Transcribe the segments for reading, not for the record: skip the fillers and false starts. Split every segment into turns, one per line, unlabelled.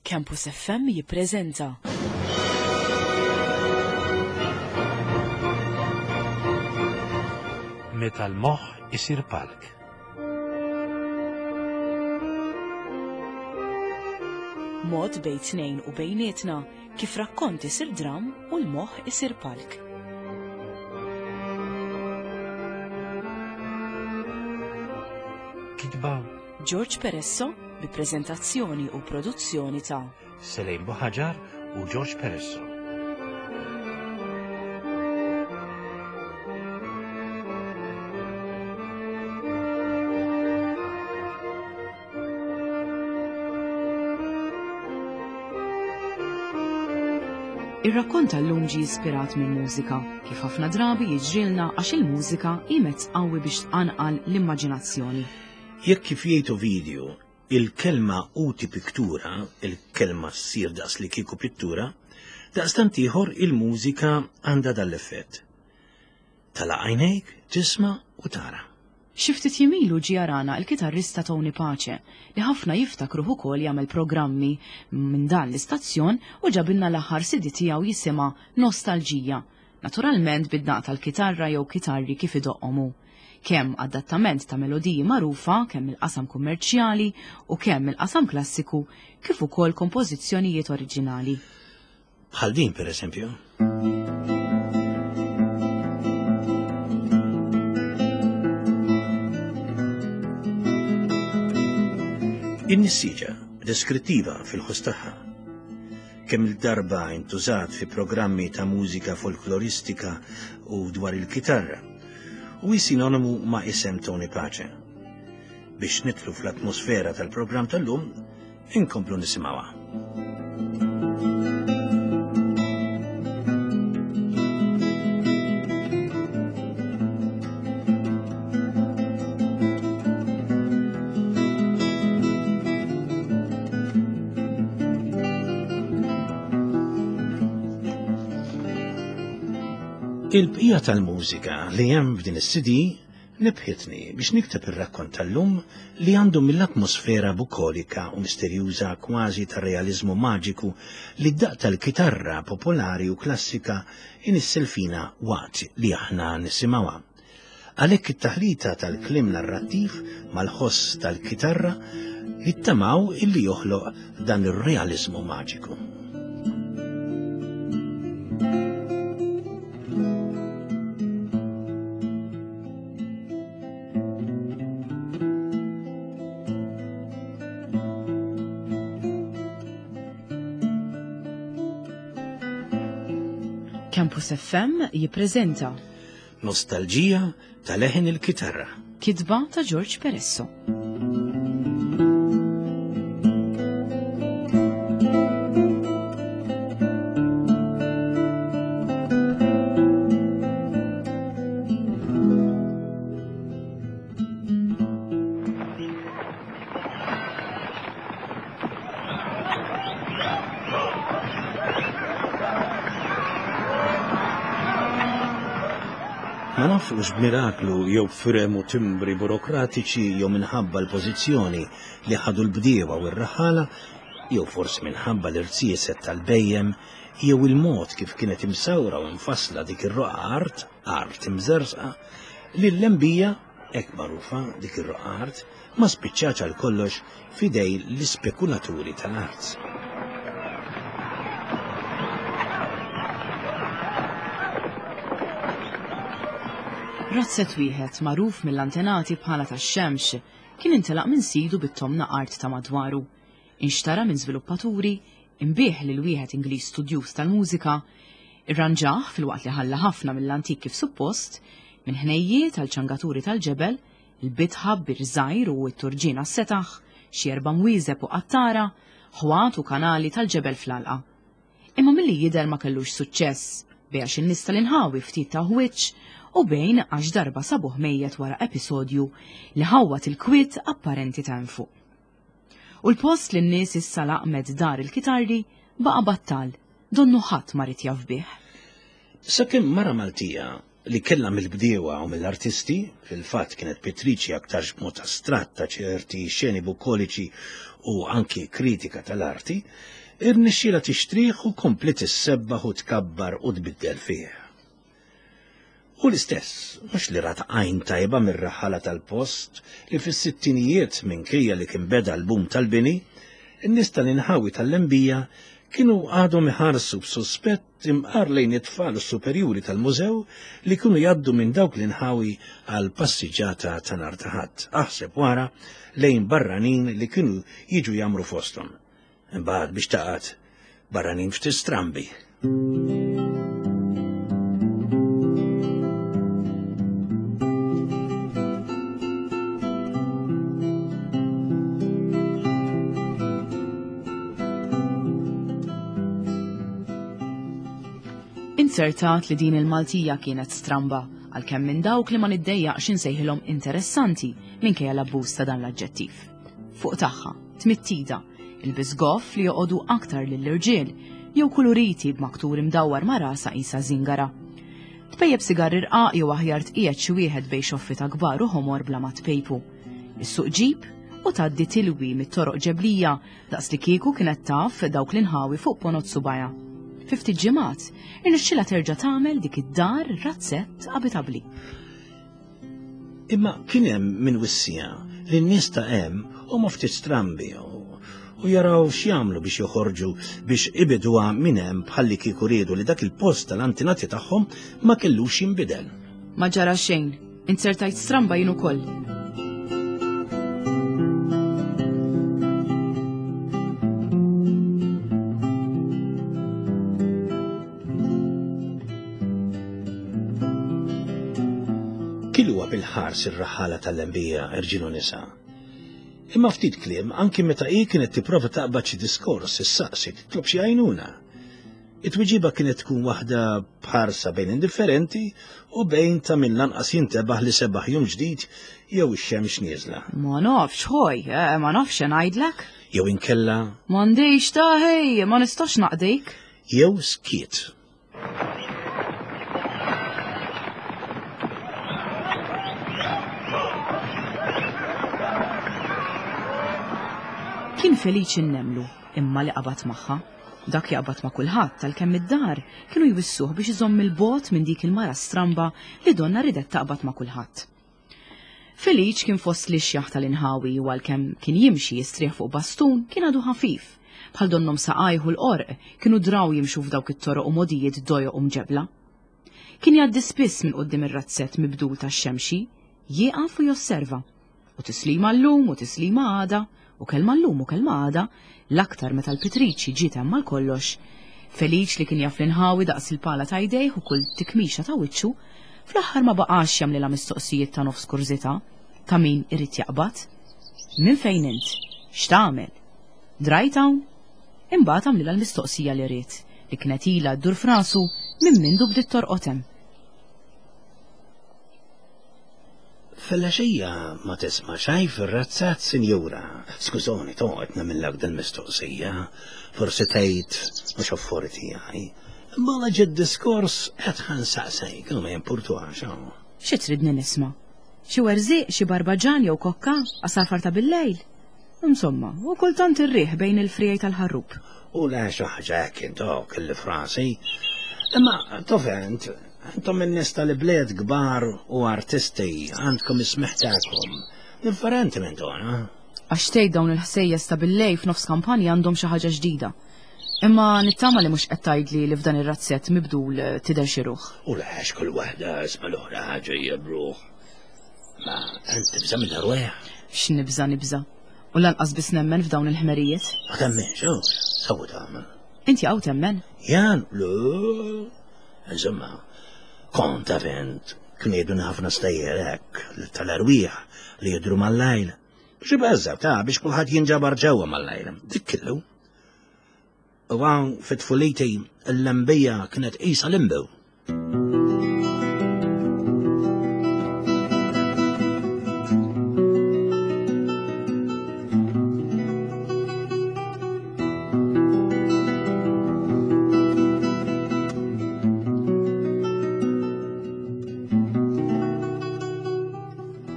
Campus FM jippreżenta.
Meta l-moħħ isir palk.
Mod bejn tnejn u bejnietna kif rakkont isir dram u l-moħħ isir palk.
Kitba
George Peresso bi preżentazzjoni u produzzjoni ta'
Selejn Buħaġar u George Peresso.
Ir-rakkont tal-lum ġie ispirat mill-mużika, kif ħafna drabi jiġrilna għax il-mużika hi mezz qawwi biex tqanqal l-immaġinazzjoni.
Jekk kif jgħid Ovidju, il-kelma uti pictura, il-kelma ssir daqs li kieku pittura, daqstant ieħor il-mużika għandha dan l-effett. Tagħlaq għajnejk, tisma' u tara.
Xi ftit jiem ilu ġie jarana l-kitarrista Tony Pace, li ħafna jiftakruh ukoll jagħmel programmi minn dan l-istazzjon u ġabilna l-aħħar CD tiegħu jisimha Nostalġija, naturalment bid-daqq tal-kitarra jew kitarri kif idoqqhom hu. Kemm adattament ta' melodiji magħrufa kemm mill-qasam kummerċjali u kemm mill-qasam klassiku kif ukoll kompożizzjonijiet oriġinali.
Bħal din per eżempju. In-nissieġa deskrittiva fil-ħoss tagħha. Kemm il-darba intużat fi programmi ta' mużika folkloristika u dwar il-kitarra u hi sinonimu ma' isem Tony Pace. Biex nidħlu fl-atmosfera tal-programm tal-lum, Inkomplu nisimgħuha. Il-bqija tal-mużika li hemm f'din is-CD Nebħitni biex nikteb ir-rakkont tal-lum li għandu mill-atmosfera bukolika u misterjuża kważi tar-realiżmu maġiku li d-daqq tal-kitarra popolari u klassika inissel fina waqt li aħna nisimgħuha. Għalhekk it-taħlita tal-kliem narrattiv mal-ħoss tal-kitarra nittamaw illi joħloq dan ir-realiżmu maġiku.
Campus FM jippreżenta
Nostalġija ta' leħen il-kitarra.
Kitba ta' George Peresso.
Ma nafx hux b'miraklu jew b'firem u timbri burokratiċi jew minħabba l-pożizzjoni li ħadu l-bdiewa u r-raħħala jew forsi minħabba l-irziezet tal-bhejjem jew il-mod kif kienet imsawra u mfassla dik ir-roqgħa art, art imżerżqa, li l-lembija, hekk magħrufa dik ir-roqgħa art, ma spiċċatx għal kollox f'idej l-ispekulaturi tal-art.
Razzett wieħed magħruf mill-antenati bħala tax-xemx kien intelaq minn sidu bit-tomna art ta' madwaru. Inxtara minn żviluppaturi, inbiegħ lil wieħed Ingliż studjuż tal-mużika, irranġah filwaqt li ħalla ħafna mill-antik kif suppost, minn ħnejjiet għal ċangaturi tal-ġebel, il-bitħa b'bir żgħir u t-turġien għas-setaħ, xi erba' mwieżeb u qattara, ħwat u kanali tal-ġebel fl-għalqa. Imma milli jidher ma kellux suċċess, bejn għax in-nies tal-inħawi ftit tawh wiċċ u bejn għax darba sabuh mejjet wara episodju li ħawwad il-kwiet apparenti ta' hemm fuq. U l-post li n-nies issa laqmet dar il-kitarri baqa' battal, donnu ħadd ma ried jaf bih.
Sakemm mara Maltija li kellha mill-bdiewa u mill-artisti, fil-fatt kienet pittriċi aktarx b'mod astratt ta' ċerti xeni bukkoliċi u anki kritika tal-arti, irnexxielha tixtrih u kompliet issebbaħ u tkabbar u tbiddel fih. U l-istess, mhux li rat għajn tajba mir-raħħala tal-post li fis-sittinijiet minkejja li kien beda l-boom tal-bini, in-nies tal-inħawi tal-Lembija kienu għadhom iħarsu b'suspett imqar lejn it-tfal u s-superjuri tal-mużew li kienu jgħaddu minn dawk l-inħawi għal passiġġata ta' nhar ta' Ħadd, aħseb wara lejn barranin li kienu jiġu jagħmru fosthom. Imbagħad biex taqgħad barranin ftit strambi.
Inzertat li din il-Maltija kienet stramba, għalkemm minn dawk li ma niddejjaqx insejħilhom interessanti minkejja l-abbuż ta' dan l-aġġettiv. Fuq tagħha, tmittida, Ilbies goff li joqogħdu aktar lill-irġiel, jew kuluriti b'maktur imdawwar ma' rasha qisha żingara. Tpejjep sigar irqaq jew aħjar tqiegħed xi wieħed bejn xoffita kbar u ħomor bla ma tpejpu. Issuq ġip u tgħaddi tilwi mit-toroq ġeblija daqs li kieku kienet taf dawk l-inħawi fuq ponot subajha. Fi ftit ġimgħat, irnexxilha terġa' tagħmel dik id-dar razzett abitabbli.
Imma kien hemm min wissieha li n-nies ta' hemm huma ftit strambi u jaraw x'jagħmlu biex joħorġu biex ibiduha minn hemm bħallikieku riedu li dak il-post tal-antinati tagħhom ma kellux jinbidel.
Ma ġara xejn, inzertajt stramba jien ukoll.
Kiluha bil-ħars ir-raħħala tal-lembija, irġiel u nisa. Imma ftit kliem, anki meta hi kienet tipprova taqbad xi diskors, issaqsi, titlob xi għajnuna. It-tweġiba kienet tkun waħda b'ħarsa bejn indifferenti u bejn ta' min lanqas jintebaħ li sebaħ jum ġdid jew ix-xemx nieżla.
Ma nafx, ħoj, eh, ma nafx ngħidlek.
Jew inkella.
M'għandix ta' ħej, ma nistax naqdik.
Jew skiet.
Kien feliċi nnemlu, imma li qabad magħha. Dak jaqbad ma' kulħadd għalkemm id-dar kienu jwissuh biex iżomm il-bogħod minn dik il-mara stramba li donna ridet taqbad ma' kulħadd. Feliċ kien fost l-ixjaħ tal-inħawi u għalkemm kien jimxi jistrieħ fuq bastun kien għadu ħafif, bħal donnhom saqajh u l-qorq kienu draw jimxu f'dawk it-toroq u mogħdijiet dojoq u mġebbla. Kien jgħaddi spiss minn quddiem ir-razzett mibdul tax-xemxi, jieqaf u josserva. U tislima llum u tislima għada, u kelma llum u kelma għada, l-aktar meta l-pitriċi ġiet hemm għal kollox. Feliċ li kien jaf l-inħawi daqs il-pala ta' jdejh u kull tikmixa ta' wiċċu, fl-aħħar ma baqax jagħmlilha mistoqsijiet ta' nofs kurżità, ta' min irid jaqbad. Minn fejn int? X'tagħmel? Drajt hawn? Imbagħad għamlilha l-mistoqsija li ried, li kienet ilha ddur f'rasu minn mindu bdiet torqod hemm.
Filgħaxija ma tisma' xejn fir-razzett, sinjura. Skużoni toqgħod nagħmillek dil-mistoqsija. Forsi tgħid mhux affari tiegħi. Imma la ġie d-diskors qed ħa nsaqsik u ma jimpurtuhax hawn.
Xi tridni nisma'? Xi werżieq, xi barbaġan jew kokka, għasafar ta' billejl? Insomma, u kultant ir-riħ bejn il-friegħi tal-ħarrub.
U le xi ħaġa hekk intok illi frasi. Imma tofent, intom in-nies tal-ibliet kbar u artisti għandkom is-smigħ tagħkom. Differenti minn tagħna.
Għax tgħid dawn il-ħsejjes ta' billejl f'nofs kampanja għandhom xi ħaġa ġdida. Imma nittama li mhux qed tgħidli li f'dan ir-razzett mibdul tidher xi ruħ.
U le għax kull waħda isma' l-oħra ġejja b'ruħ. Ma int tibża' mill-erwieħ?
X'nibża' nibża'. U lanqas biss nemmen f'dawn il-ħmerijiet.
Ma temminx, hu? Sewwa tagħmel.
Inti hawn temmen?
Jan, le. Insomma, kont taf int, kienu jgħidulna ħafna stejjer hekk tal-erwieħ li jidhru mal-lejl. Biex ibeżżgħu ta' biex kulħadd jinġabar ġewwa mal-lejl. Dik kellu. U hawn fi tfuliti l-lembija kienet qisha limbu.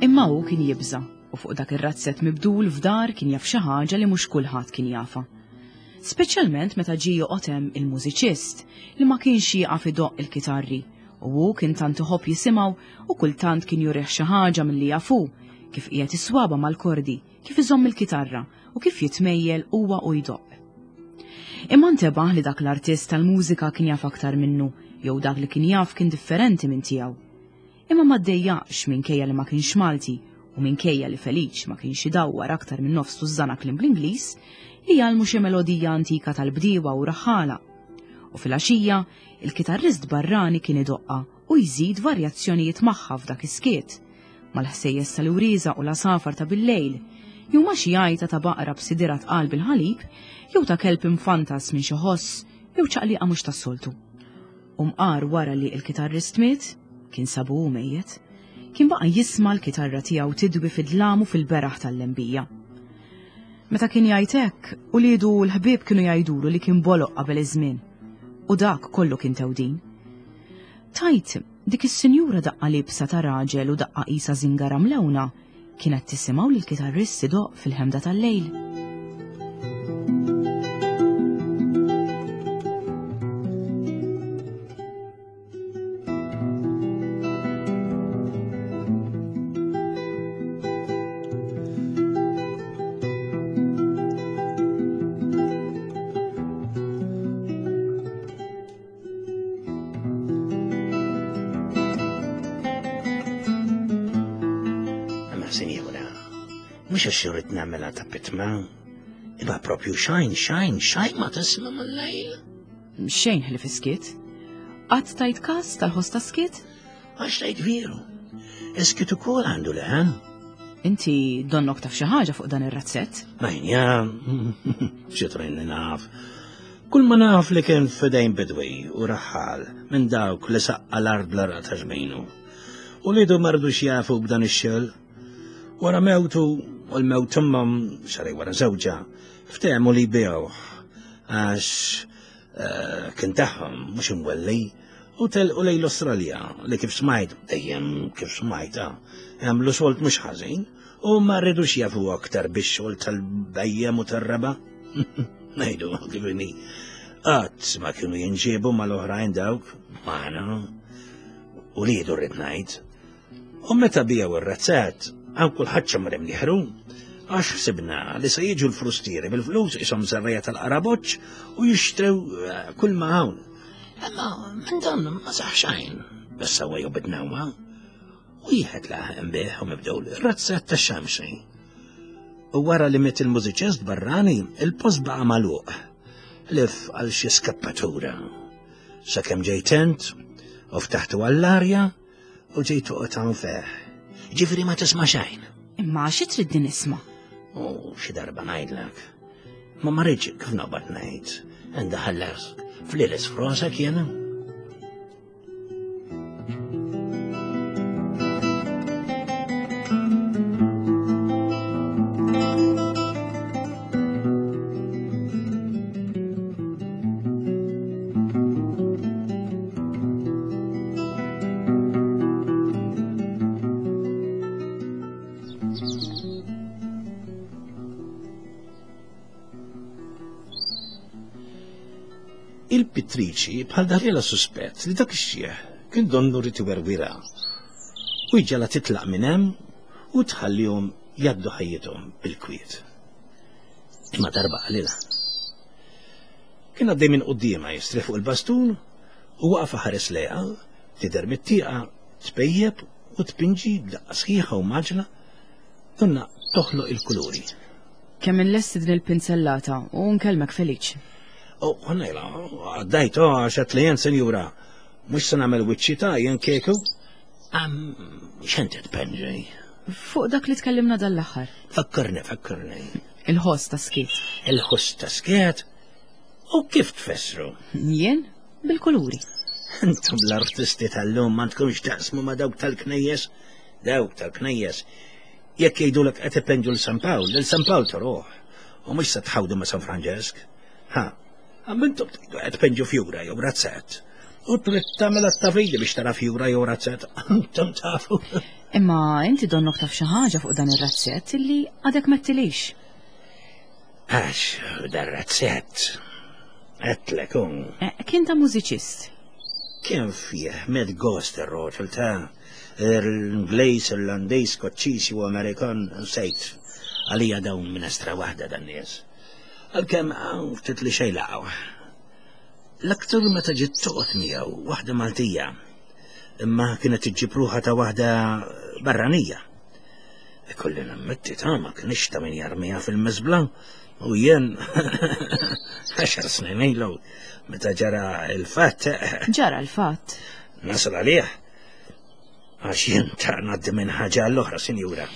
Imma hu kien jibża'. U fuq dak ir-razzett mibdul f'dar kien jaf xi ħaġa li mhux kulħadd kien jafha. Speċjalment meta ġie joqgħod hemm il-mużiċist li ma kienx jieqaf idoqq il-kitarri u hu kien tant iħobb jisimgħu u kultant kien jurih xi ħaġa milli jaf hu, kif qiegħed is-swaba mal-kordi, kif iżomm il-kitarra u kif jitmejjel huwa u jdoqq. Imma ntebaħ li dak l-artist tal-mużika kien jaf aktar minnu jew dak li kien jaf kien differenti minn tiegħu. Imma ma ddejjaqx minkejja li ma kienx Malti u minkejja li Feliċ ma kienx idawwar aktar minn nofs tużżana kliem bl-Ingliż, li jgħallmu xi melodija antika tal-bdiewa u raħħala. U filgħaxija, il-kitarrist barrani kien idoqqha u jżid varjazzjonijiet magħha f'dak is-skiet, mal-ħsejjes tal-iwrieża u l-għasafar ta' billejl, jew ma' xi għajta ta' baqra b'sidirha tqal bil-ħalib, jew ta' kelb imfantas minn xi ħoss jew ċaqliqa mhux tas-soltu. U mqar wara li l-kitarrist miet, kien sabu hu mejjet, kien baqa' jisma' l-kitarra tiegħu tidwi fid-dlam u fil-beraħ tal-lembija. Meta kien jgħid hekk, uliedu u l-ħbieb kienu jgħidulu li kien boloq qabel iż-żmien. U dak kollu kien tewdin. Tajt, dik is-sinjura daqqa libsa ta' raġel u daqqa qisha żingara mlewna, Kienet tisimgħu lill-kitarrist idoqq fil-ħemda tal-lejl.
Imma sinjura, mhux għax irrid nagħmilha ta' pitma, imma propju xajn, xajn, xajn ma tisma' mal-lejl.
Xejn ħlief iskiet. Qatt tajt każ tal-ħoss ta' skiet?
Għax tajt veru. Iskiet ukoll għandu leħen.
Inti donnok taf xi ħaġa fuq dan ir-razzett?
Ma jien xi li naf. Kull ma naf li kien f'idejn bidwi u raħħal minn dawk li saqqa l-art bl-għaraq ta' ġbinu. U lidu ma rdux jafu b'dan ix-xogħol. Wara mewtu u l-mewt temmhom xarej wara żewġha, ftehmu li jbigħuh għax eh, kien tagħhom mhux imwelli u telqu lejn l-Awstralja li kif smajt dejjem kif smajta għamlu solt mhux ħażin U ma rridux jafu aktar bix-xogħol tal-bejjem u tar-raba'. Ngħidu kif inhi. Qatt ma kienu jinġiebu mal-oħrajn dawk magħna. U liedu rrid ngħid. U meta biegħu ir-razzett, hawn kulħadd xammar imnieħru, għax ħsibna li se jiġu l-frustieri bil-flus ishom żerrejja tal-qaraboċċ u jixtrew eh, kull ma hawn. Imma minn dan ma saħ xejn, bas sewwa jew bidnewma. Wieħed laħaq imbieħ u mibdew l-razzett ta' xamxi. U wara li miet il-mużiċist barrani, il-post baqa' magħluq. Lif għal xi skappatura. Sakemm ġejt int u ftaħtu għall-arja u ġejt toqgħod hawn feh. Ġifieri ma tisma' xejn.
Imma xi trid nisma'?
U xi darba ngħidlek. Ma ma rridx kif noqgħod ngħid. Indaħallas fliles frosek jiena. Il-pittriċi bħal daħlilha suspett li dak ix-xiħ kien donnu rid iwerwirha u jġegħlha titlaq minn hemm u tħallihom jgħaddu ħajjithom bil-kwiet. Imma darba qalilha. Kien għaddej minn quddiemha jistrieħ fuq il-bastun u waqaf iħares lejha, tidher mit-tieqa tpejjep u tpinġi b'daqqa sħiħa u mgħaġġla, donnha toħloq il-kuluri.
Kemm inlesti din il-pinzellata u nkellmek Feliċ.
Oh, ħanajla, għaddajt, oh, għax għat li jen, senjura, mux se nagħmel wiċċi ta' jen kieku. Am, x'inti tpenġi?
Fuq dak li tkellimna dal-aħħar.
Fakkarni, fakkarni.
Il-ħoss ta' skiet.
Il-ħoss ta' skiet? U kif tfessru?
Jien? Bil-kuluri.
Intom l-artisti tal-lum ma tkunx taqsmu ma' dawk tal-knejjes? Dawk tal-knejjes Jekk jgħidulek qed ipenġu l San Pawl, lil San Pawl toruh, u mhux se tħawdu ma' San Franġesk. Ha, għam intom tgħidu qed tpenġu fjura jew razzett. U trid tagħmel attavili biex tara fjura jew razzett. Intom tafu.
Imma inti donnok taf xi ħaġa fuq dan ir-razzett illi għadek m'għedtilix.
Għax dan razzett għedtlek hu.
Eh, kien ta' mużiċist.
Kien fih med gost ir-roġel ta' l-Ingliż, Irlandiż, Skoċċiż u Amerikan nsejt. Għalija dawn minestra waħda dan nies. Għalkemm hawn ftit li xejn laqgħu. L-aktar meta ġiet toqgħod miegħu waħda Maltija, imma kienet iġġib ruħha ta' waħda barranija. Ikolli nammetti ta' ma kienx ta' min jarmiha fil-miżbla u jien għaxar snin ilu meta ġara il-fatt.
Ġara l-fatt.
Nasal għalih. Għax jien ta' ngħaddi minn ħaġa għall-oħra, sinjura.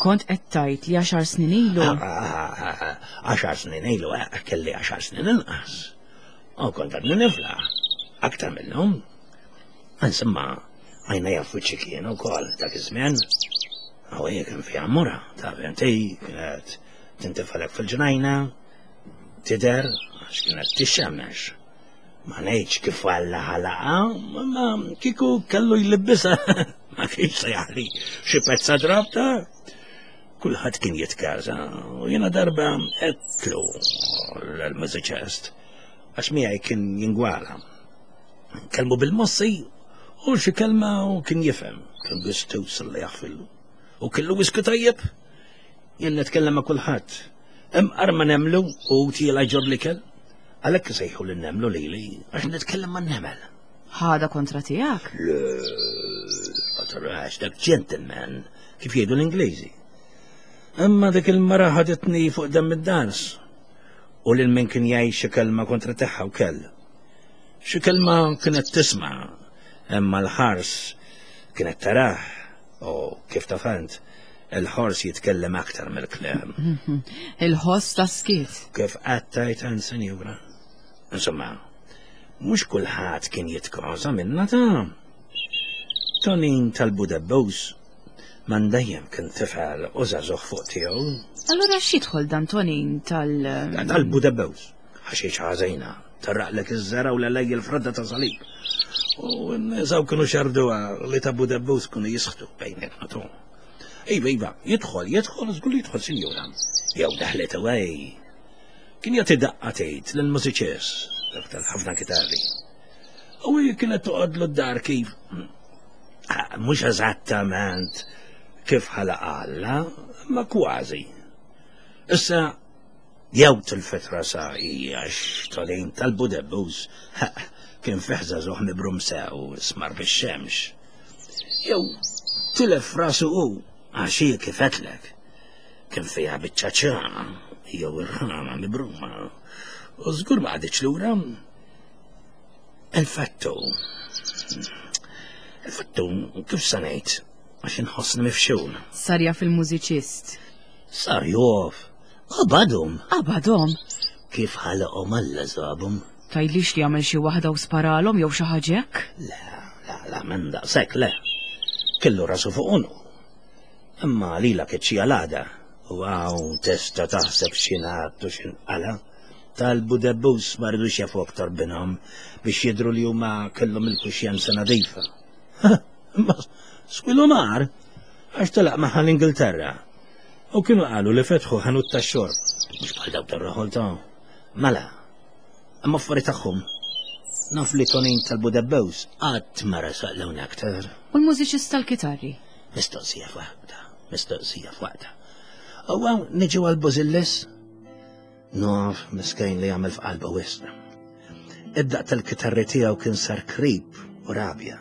Kont qed tgħid li għaxar snin ilu.
Ah, ah, ah, għaxar snin ilu, eh, kelli għaxar snin inqas. U kont għadni nifla, aktar minnhom. Insomma, għajna jafu xi kien ukoll dak iż-żmien. Għaw hija kien fiha mura, ta' inti kienet tintifalek fil-ġnajna, tidher għax kienet tixxemmex. Ma ngħidx kif Alla ħalaqha, ma kieku kellu jlibbisha ma kienx se jaħli xi pezza drabta. Kulħadd kien jitkaża u jiena darba għedtlu l-mużiċist għax miegħi kien jingwala. Kelmu bil-mossi u xi kelma u kien jifhem, kien gustuż li jaħfillu. U kellu wisku tajjeb, jien nitkellem ma' kulħadd. Imqar ma nemlu u tiela ġor l-ikel. Għalhekk isejħu lin nemlu lili għax nitkellem man-nemel.
Ħada kontra tiegħek?
Le, ma tarax dak gentleman kif jgħidu l-Ingliżi. Imma dik il-mara ħaditni fuq demm id-dans u lil min kien jgħid xi kelma kontra tagħha wkoll. Xi kelma kienet tisma' imma l-ħars kienet tarah u kif taf int, Il-ħors jitkellem aktar mill-kliem.
Il-ħoss ta' skiet.
Kif qattajt għan senjura. Insomma, mhux kulħadd kien jitkoża minna ta' Tonin tal-Budebbus man dejjem kien tifel u żagħżugħ fuq tiegħu.
Allura x'jidħol dan Tonin tal-
Tal-Budebbus. Ħaxix ħażina, tarraqlek iż-żera u l-lej il-fradda ta' salib. U n-nisaw kienu xarduha li ta' Budebbus kienu jisħtu bejnietna tu. Iva, iva, jidħol, jidħol, żgur li jidħol, sinjura. Jew daħlet away. Kien jagħti daqqa tgħid lill-mużiċist, dak tal-ħafna kitarri. U hi kienet toqgħodlu d-dar kif ah, mhux eżattament kif ħalaq Alla, ma kważi. Issa jew tilfet rasa hi għax Tolin tal-Budebbus kien fih żagħżugħ mibrum sew smar bix-xemx. Jew tilef rasu hu għax hi kif għedtlek kien fiha biċċa ċana jew irħama mibruma u żgur ma qagħditx lura. Il-fattu il-fattu kif se ngħid għax inħossni mifxul.
Sar jaf il-mużiċist.
Sar jaf. Qabadhom.
Qabadhom?
Kif ħalaqhom Alla żabhom.
Tgħidlix li għamel xi waħda u sparalhom jew xi ħaġa hekk?
Le, le, le, minn daqshekk le. Kellu rasu fuq għonqu. Imma lilha keċċija l-għada. U hawn tista' taħseb x'ingħad u x'inqala'. Talbu debbus ma ridux jafu aktar binhom biex jidhru li huma kellhom il-kuxjenza nadifa. Imma swilu mar għax telaq magħha l-Ingilterra. U kienu qalu li fetħu ħanut tax-xorb, mhux bħal dawk tar-raħol ta' Mela, imma affari tagħhom. Naf li Tonin tal-Budebbews qatt ma resaq l aktar.
U l-mużiċist tal-kitarri?
Mistoqsija f'waqta, mistoqsija f'waqta. U għaw niġu għal-Bozillis? Naf miskejn li għamel f'qalbu wisq. Id-daq tal-kitarri tiegħu kien sar krib u rabja.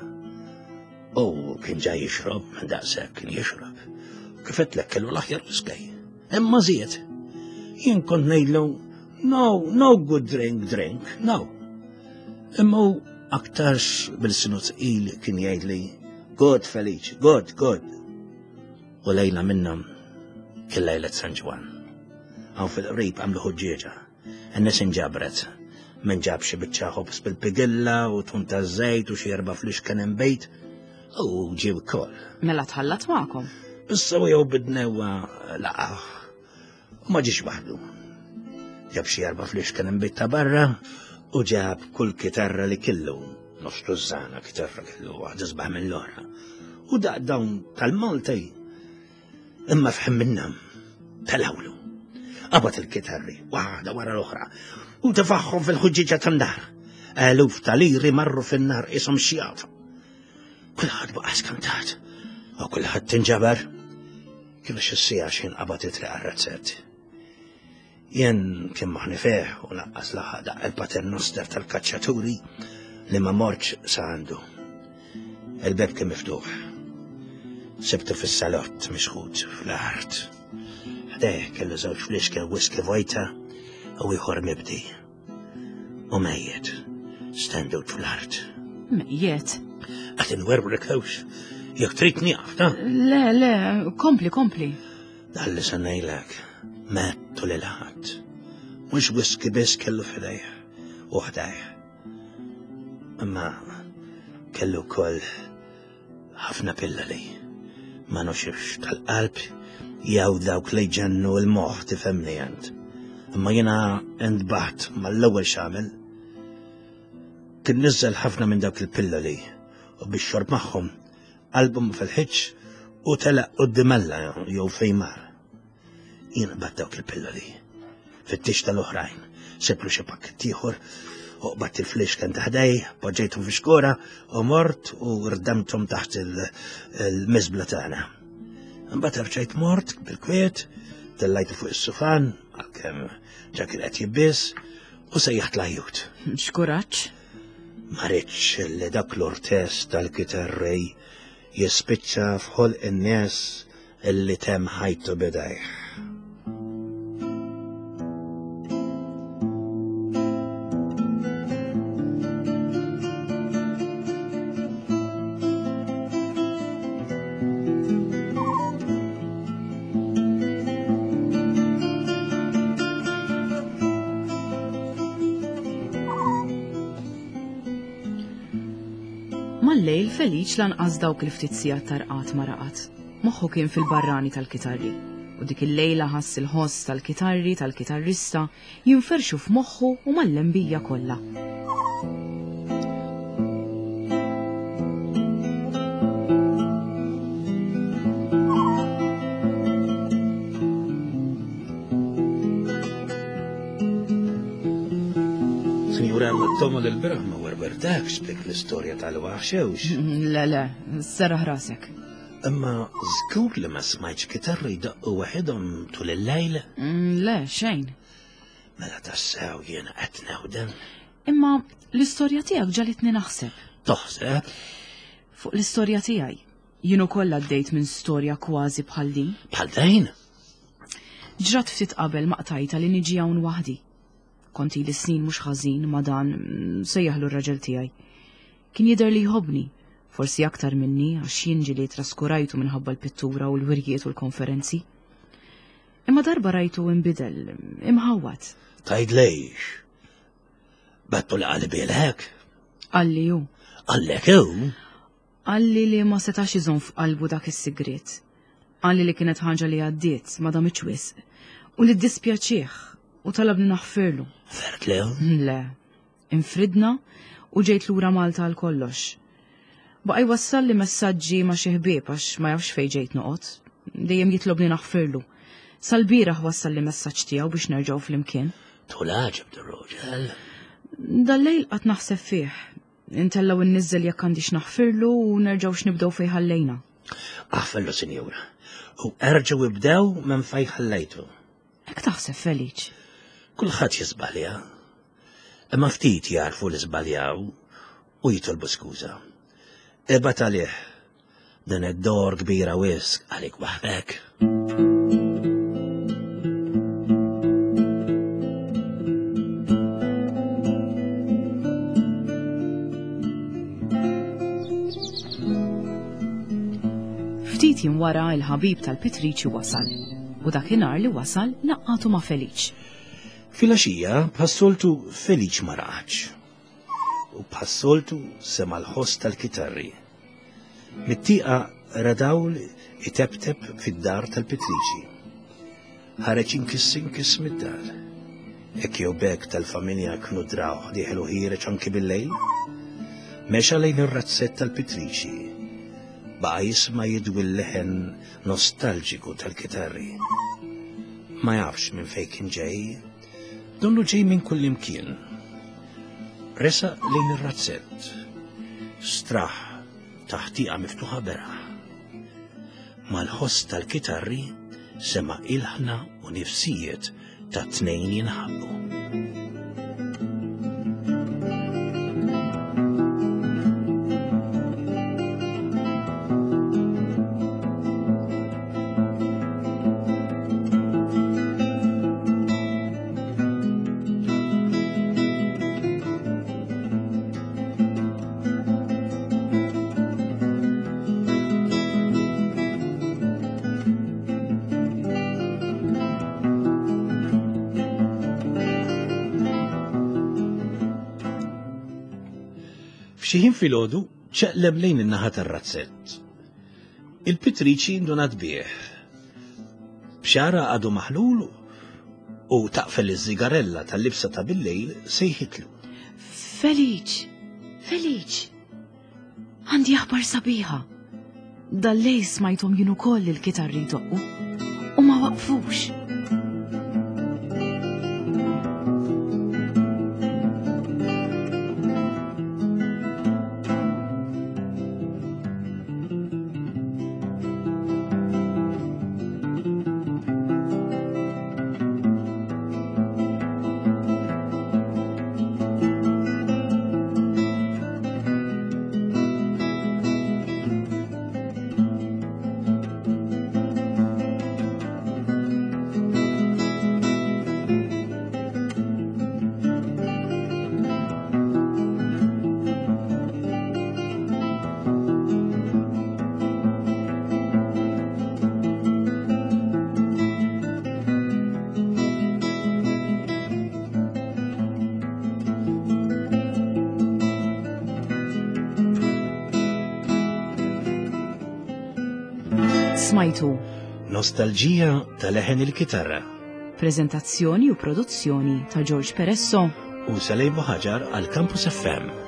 U kien ġa jixrob, minn daqshekk kien jixrob. Kif għedtlek kellu l-aħjar whiskey. Imma żied. Jien kont ngħidlu, no, no good drink, drink, no. Imma hu aktarx bil-sinu tqil kien jgħidli, good Feliċ, good, good. U lejla minnhom kien lejlet San Ġwann. Hawn fil-qrib għamlu ħuġġieġa. In-nies inġabret. Min ġab xi biċċa ħobż bil-pigilla u tun taż-żejt u xi erba' flixken inbejt u ġie wkoll.
Mela tħallat magħkom.
Issa u jew bidnewwa laqgħa. U ma ġiex waħdu. Ġab xi erba' flixken inbejt ta' barra u ġab kull kitarra li kellu. Nofs tużżana kitarra kellu waħda sbaħ mill-oħra. U daq dawn tal-Malti imma fħem minnhom telawlu. Qabad il-kitarri, waħda wara l-oħra, u tefaħħom fil-ħuġġiġa tan-nar. Eluf ta' liri marru fin-nar ishom xjat. Kulħadd baqa' skantat u kulħadd tinġabar. Kienu xi siegħa xejn qabad it-triq għar-razzett. Jien kien moħni fih u laqqas laħaq daqq il-paternoster tal-kaċċaturi li ma mortx sa għandu. Il-beb kien miftuħ. Sibtu fis-salott mixħut fl-art. Ħdejh kellu żewġ fliexken whisky vojta u ieħor mibdi. U mejjet, stendut fl-art.
Mejjet?
Qed inwerwrek hewx. Jekk trid nieqaf, ta?
Le, le, kompli, kompli.
Dan li se ngħidlek, mettu lil ħadd. Mhux whisky biss kellu f'idejh u ħdejh. Imma kellu wkoll ħafna pilloli ma noxifx tal-qalb jew dawk li jġennu l-moħħ tifhemni int. Imma jiena intbaħt mal-ewwel x'għamel. Kien niżel ħafna minn dawk il-pilloli u biex xorb magħhom qalbu ma felħitx u telaq quddiem Alla jew fejn mar. Jien qbadt dawk il-pilloli. Fittix tal-oħrajn, siblu xi pakkett ieħor u qbadt il-flixken ta' ħdej, poġġejthom fi xkora u mort u rdemthom taħt il-miżbla tagħna. Imbagħad rġajt mort bil-kwiet, tellajtu fuq is-sufan, għalkemm ġa kien qed jibbies, u sejjaħt l-ajjut.
X'kuraġġ!
Ma ridtx li dak l-ortess tal-kitarrej jispiċċa f'ħolq in-nies illi temm ħajtu b'idejh.
Mal-lejl Feliċ lanqas dawk il-ftit sigħat ta' rqad ma raqad. Moħħu kien fil-barrani tal-kitarri. U dik il-lejla ħass il-ħoss tal-kitarri tal-kitarrista jinferxu f'moħħu u mal-lembija kollha.
Sinjura, Tomo l-biraħ ma werwertakx b'dik l-istorja tal-waħxewx.
Le, le, serraħ rasek.
Imma żgur li ma smajtx kitarri jdaqqu waħedhom tul il-lejl?
Mm, le, xejn.
Mela tassew jiena qed newden.
Imma l-istorja tiegħek ġalitni naħseb.
Toħseb?
Fuq l-istorja tiegħi. Jien ukoll għaddejt minn storja kważi bħal din.
Bħal din?
Ġrat ftit qabel ma qtajta li niġi hawn waħdi. Kont ili snin mhux ħażin ma' dan mm, sejjaħlu r-raġel tiegħi. Kien jidher li jħobbni, forsi aktar minni għax jien ġieli traskurajtu minħabba l-pittura u l-wirjiet u l-konferenzi. Imma darba rajtu imbidel, imħawwad.
Tgħid lejx. Battu li qalbilek?
Qalli hu.
Qallek hu?
Qalli li ma setax iżomm f'qalbu dak is-sigriet. Qalli li kienet ħaġa li għaddiet, ma damitx wisq, u li ddispjaċih u talabni naħfirlu.
Ħfertlu?
Le. Infridna u ġejt lura Malta għal kollox. Baqa' jwassalli messaġġi ma' xi ħbieb għax ma jafx fejn ġejt noqgħod. Dejjem jitlobni naħfirlu. Sal-bieraħ wassalli messaġġ tiegħu biex nerġgħu flimkien.
Tul għaġeb dir-raġel.
Dal-lejl qatt naħseb fih. Intella' u nniżżel jekk għandix naħfirlu u nerġgħux nibdew fejn ħallejna.
Aħfirlu, sinjura, u erġgħu ibdew minn fejn ħallejtu.
Hekk taħseb, Feliċ?
Kulħadd jiżbalja. Imma ftit jagħrfu li żbaljaw u jitolbu skuża. Ibgħat għalih Din id-dor kbira wisq għalik waħdek.
Ftit jiem wara il-ħabib tal-Pitriċi wasal u dakinhar li wasal laqgħatu ma' Feliċ.
Filgħaxija bħas-soltu Feliċ ma raqadx. U bħas-soltu sema' l-ħoss tal-kitarri. Mit-tieqa ra dawl iteptep fid-dar tal-Pitriċi. Ħareġ inkiss inkiss mid-dar. Hekk jew b'hekk tal-familja kienu drawh dieħel u ħiereġ anki bil-lejl. Mexa lejn ir-razzett tal-Pitriċi. Baqa' jisma' jidwi l-leħen nostalġiku tal-kitarri. Ma jafx minn fejn kien ġej. Donnu ġej minn kullimkien. Resaq lejn ir-razzett. Straħ taħt tieqa miftuħa beraħ. Mal-ħoss tal-kitarri sema' ilħna u nifsijiet ta' tnejn jinħabbu. F'xi ħin filgħodu ċeqleb lejn in-naħa tar-razzett. Il-pitriċi ndunat bih. B'xagħarha għadu maħlul u taqfel iż-żigarella tal-libsa ta' billejl sejħitlu.
Feliċ! Feliċ! Għandi aħbar sabiħa. Dal-lejl smajthom jien ukoll il-kitarri jdoqqu u ma waqfux. Smajtu.
Nostalġija ta' leħen il-kitarra.
Prezentazzjoni u produzzjoni ta' George Peresso
u Salej Buħaġar għal Campus FM.